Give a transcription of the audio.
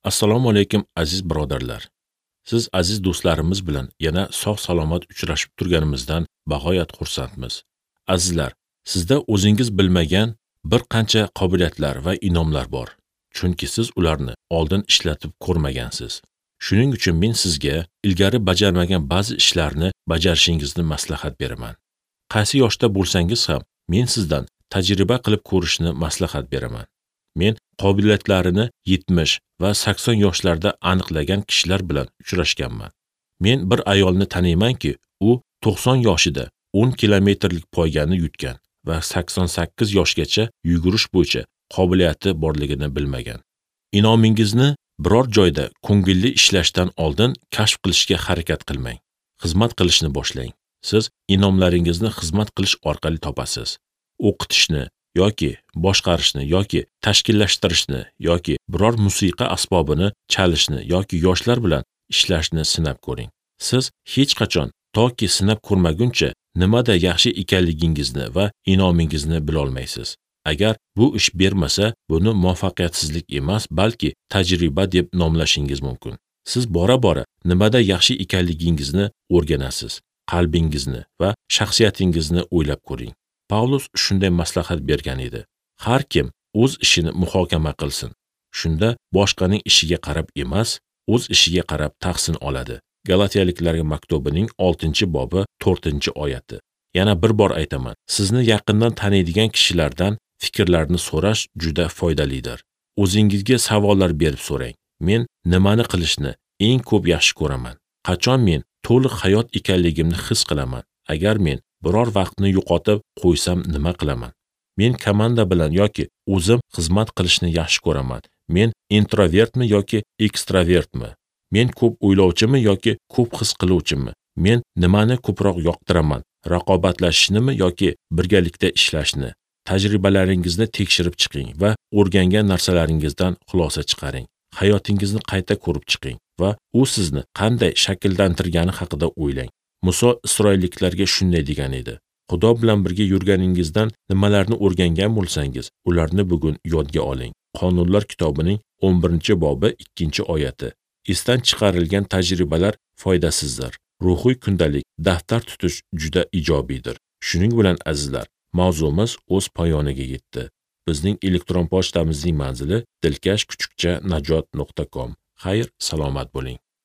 Assalomu alaykum aziz birodarlar. Siz aziz do'stlarimiz bilan yana sog' salomat uchrashib turganimizdan bag'oyat xursandmiz. Azizlar, sizda o'zingiz bilmagan bir qancha qobiliyatlar va inomlar bor. Chunki siz ularni oldin ishlatib ko'rmagansiz. Shuning uchun men sizga ilgari bajarmagan ba'zi ishlarni bajarishingizni maslahat beraman. Qaysi yoshda bo'lsangiz ham men sizdan tajriba qilib ko'rishni maslahat beraman. Men qobiliyatlarini 70 va 80 yoshlarda aniqlagan kishilar bilan uchrashganman. Men bir ayolni taniymanki, u 90 yoshida 10 kilometrlik poygani yutgan va 88 yoshgacha yugurish bo'yicha qobiliyati borligini bilmagan. Inomingizni biror joyda ko'ngilli ishlashdan oldin kashf qilishga harakat qilmang. Xizmat qilishni boshlang. Siz inomlaringizni xizmat qilish orqali topasiz. O'qitishni yoki boshqarishni yoki tashkillashtirishni yoki biror musiqa asbobini chalishni yoki yoshlar bilan ishlashni sinab ko'ring. Siz hech qachon toki sinab ko'rmaguncha nimada yaxshi ekanligingizni va inomingizni bila olmaysiz. Agar bu ish bermasa, buni muvaffaqiyatsizlik emas, balki tajriba deb nomlashingiz mumkin. Siz bora-bora nimada yaxshi ekanligingizni o'rganasiz. Qalbingizni va shaxsiyatingizni o'ylab ko'ring. Pavlus shunday maslahat bergan edi. Har kim o'z ishini muhokama qilsin. Shunda boshqaning ishiga qarab emas, o'z ishiga qarab tahsin oladi. Galatiyaliklarga maktubining 6-bobi 4-oyati. Yana bir bor aytaman, sizni yaqindan taniydigan kishilardan fikrlarni so'rash juda foydalidir. O'zingizga savollar berib so'rang. Men nimani qilishni eng ko'p yaxshi ko'raman? Qachon men to'liq hayot ekanligimni his qilaman? Agar men biror vaqtni yo'qotib qo'ysam nima qilaman? Men komanda bilan yoki o'zim xizmat qilishni yaxshi ko'raman. Men introvertmi yoki ekstravertmi? Men ko'p o'ylovchimi yoki ko'p his qiluvchimi? Men nimani ko'proq yoqtiraman? Raqobatlashishnimi yoki birgalikda ishlashni? Tajribalaringizni tekshirib chiqing va o'rgangan narsalaringizdan xulosa chiqaring. Hayotingizni qayta ko'rib chiqing va u sizni qanday shakllantirgani haqida o'ylang. Muso Isroilliklarga shunday degan edi: Xudo bilan birga yurganingizdan nimalarni o'rgangan bo'lsangiz, ularni bugun yodga oling. Qonunlar kitobining 11-bobi 2-oyati. Esdan chiqarilgan tajribalar foydasizdir. Ruhiy kundalik daftar tutish juda ijobiydir. Shuning bilan azizlar, mavzumiz o'z poyoniga yetdi. Bizning elektron pochtamizning manzili dilkash@najot.com. Xayr, salomat bo'ling.